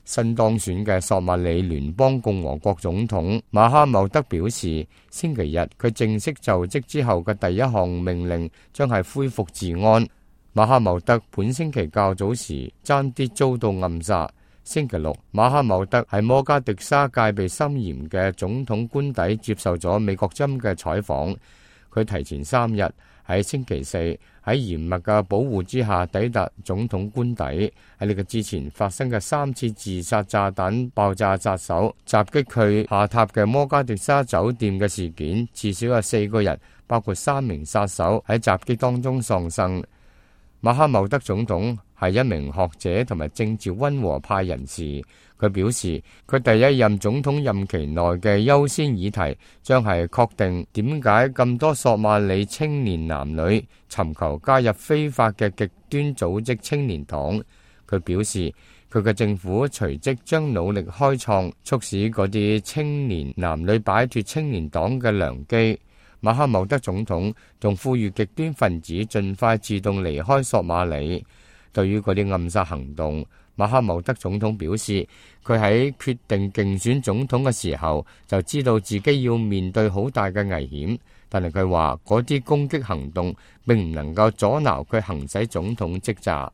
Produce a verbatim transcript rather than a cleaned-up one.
新當選嘅索馬里聯邦共和國總統馬哈茂德表示，星期日佢正式就職之後嘅第一項命令將係恢復治安。馬哈茂德本星期較早時爭啲遭到暗殺。星期六，馬哈茂德喺摩加迪沙戒備森嚴嘅總統官邸接受咗美國針嘅採訪。佢提前三日喺星期四喺嚴密嘅保護之下抵達總統官邸。喺呢個之前發生嘅三次自殺炸彈爆炸殺手襲擊佢下榻嘅摩加迪沙酒店嘅事件，至少有四個人，包括三名殺手喺襲擊當中喪生。馬哈茂德總統係一名學者同埋政治溫和派人士。佢表示，佢第一任總統任期內嘅優先議題將係確定點解咁多索馬里青年男女尋求加入非法嘅極端組織青年黨。佢表示，佢嘅政府隨即將努力開創促使嗰啲青年男女擺脫青年黨嘅良機。馬哈茂德總統仲呼籲極端分子盡快自動離開索馬里。對於嗰啲暗殺行動，馬哈茂德總統表示，佢喺決定競選總統嘅時候就知道自己要面對好大嘅危險，但係佢話嗰啲攻擊行動並唔能夠阻撓佢行使總統職責。